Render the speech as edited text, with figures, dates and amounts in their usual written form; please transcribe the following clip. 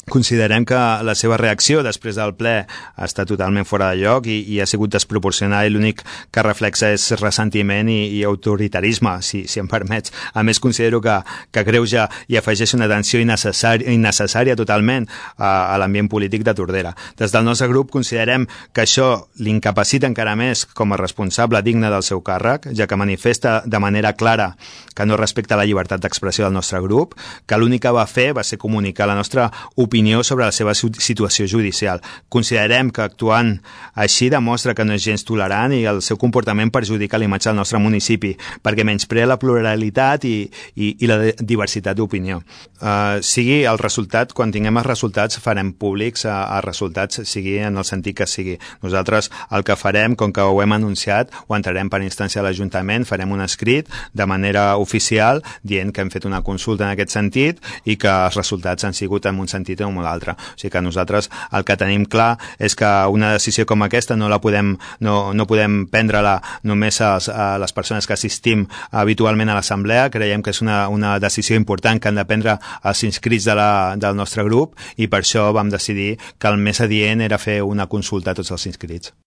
Considerem que la seva reacció després del ple està totalment fora de lloc i ha sigut desproporcionada i l'únic que reflexa és ressentiment i autoritarisme, si em permets. A més, considero que greuja i afegeix una tensió innecessària totalment a l'ambient polític de Tordera. Des del nostre grup considerem que això l'incapacita encara més com a responsable digne del seu càrrec, ja que manifesta de manera clara que no respecta la llibertat d'expressió del nostre grup, que l'únic que va fer va ser comunicar la nostra opinió sobre la seva situació judicial. Considerem que actuant així demostra que no és gens tolerant i el seu comportament perjudica l'imatge del nostre municipi, perquè menysprea la pluralitat i la diversitat d'opinió. Sigui el resultat, quan tinguem els resultats farem públics els resultats, sigui en el sentit que sigui. Nosaltres el que farem, com que ho hem anunciat, ho entrarem per instància a l'Ajuntament, farem un escrit de manera oficial dient que hem fet una consulta en aquest sentit i que els resultats han sigut en un sentit o en un altre. O sigui que nosaltres el que tenim clar és que una decisió com aquesta no podem prendre-la només a les persones que assistim habitualment a l'assemblea. Creiem que és una decisió important que han de prendre els inscrits del nostre grup i per això vam decidir que el més adient era fer una consulta a tots els inscrits.